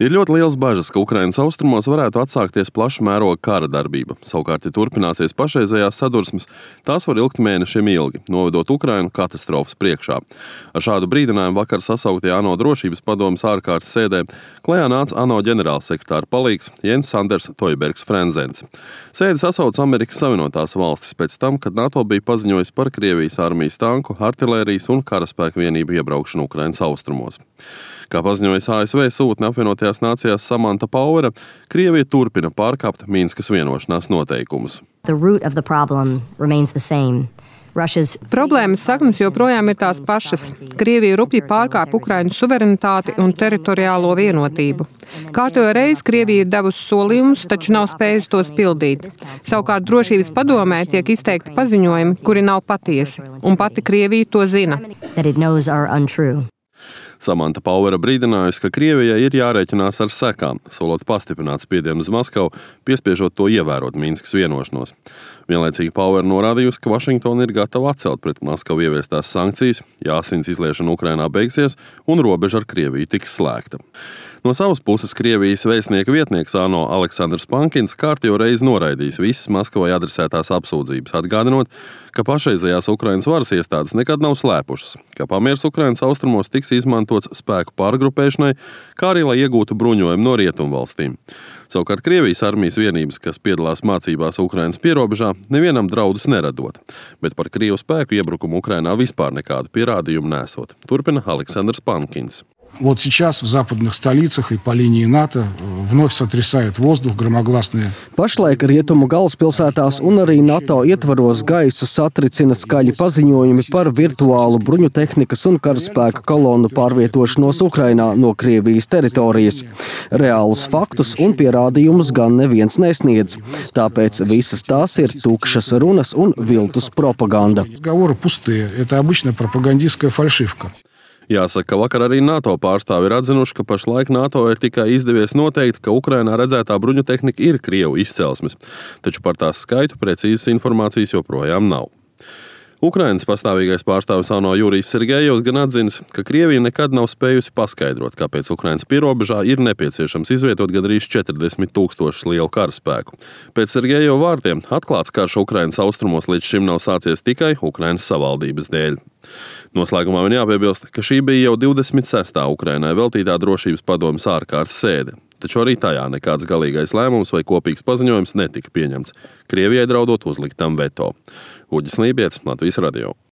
Ir ļoti liels bažas, ka Ukrainas austrumos varētu atsākties plaša mēroga kara darbība. Savukārt, ja turpināsies pašreizējās sadursmes, tās var ilgt mēnešiem ilgi, novedot Ukrainu katastrofas priekšā. Ar šādu brīdinājumu vakar sasauktajā ANO drošības padomes ārkārtas sēdē klajā nāca ANO ģenerālsekretāra palīgs Jens Sanders Toibergs Frenzens. Sēdi sasauca Amerikas Savienotās valstis pēc tam, kad NATO bija paziņojis par Krievijas armijas tanku, artilērijas un karaspēku vienību iebraukšanu Ukrainas austrumos. Kā paziņojas ASV sūtne apvienotajās nācijās Samanta Powera, Krievija turpina pārkāpt Minskas vienošanās noteikumus. Problēmas saknes joprojām ir tās pašas. Krievija rupji pārkāp Ukrainas suverenitāti un teritoriālo vienotību. Kārtējo reizi Krievija ir devusi solījumus, taču nav spējusi tos pildīt. Savukārt drošības padomē tiek izteikti paziņojumi, kuri nav patiesi, un pati Krievija to zina. Samanta Powera brīdinājusi, ka Krievijai ir jārēķinās ar sekām, solot pastiprināt spiedienu uz Maskavu, piespiežot to ievērot Minskas vienošanos. Vienlaicīgi Powera norādījusi, ka Vašingtona ir gatava atcelt pret Maskavu ieviestās sankcijas, ja asins izliešana Ukrainā beigsies un robeža ar Krieviju tiks slēgta. No savas puses Krievijas vēstnieka vietnieks ANO Aleksandrs Pankins kārtējo reizi noraidījis visas Maskavai adresētās apsūdzības, atgādinot, ka pašreizējās Ukrainas varas iestādes nekad nav slēpušas, ka pamiers Ukrainas austrumos tiks izmantots spēku pārgrupēšanai, kā arī lai iegūtu bruņojumu no rietumvalstīm. Savukārt Krievijas armijas vienības, kas piedalās mācībās Ukrainas pierobežā, nevienam draudus neradot, bet par Krievu spēku iebrukumu Ukrainā vispār nekādu pierādījumu nesot. Turpina Aleksandrs Pankins. Вот сейчас в западных столицах и по линии НАТО вновь сотрясает воздух громогласные. Pašlaik rietumu galvaspilsētās un arī NATO ietvaros gaisu satricina skaļi paziņojumi par virtuālu bruņutehnikas un karaspēka kolonu pārvietošanos Ukrainā no Krievijas teritorijas. Reālus faktus un pierādījumus gan neviens nesniedz. Tāpēc visas tās ir tukšas runas un viltus propaganda. Разговоры пустые. Это обычная пропагандистская фальшивка. Jāsaka, ka vakar arī NATO pārstāvi ir atzinuši, ka pašlaik NATO ir tikai izdevies noteikt, ka Ukrainā redzētā bruņutehnika ir Krievu izcelsmes, taču par tās skaitu precīzas informācijas joprojām nav. Ukrainas pastāvīgais pārstāvis ANO Jurijs Sergejevs gan atzinis, ka Krievija nekad nav spējusi paskaidrot, kāpēc Ukrainas pierobežā ir nepieciešams izvietot gandrīz 40,000 lielu karaspēku. Pēc Sergejeva vārdiem atklāts karš Ukrainas austrumos līdz šim nav sācies tikai Ukrainas savaldības dēļ. Noslēgumā man jāpiebilst, ka šī bija jau 26. Ukrainai veltītā drošības padomes ārkārtas sēde, taču arī tajā nekāds galīgais lēmums vai kopīgs paziņojums netika pieņemts, Krievijai draudot uzlikt tam veto. Uģis Lībietis, Latvijas radio.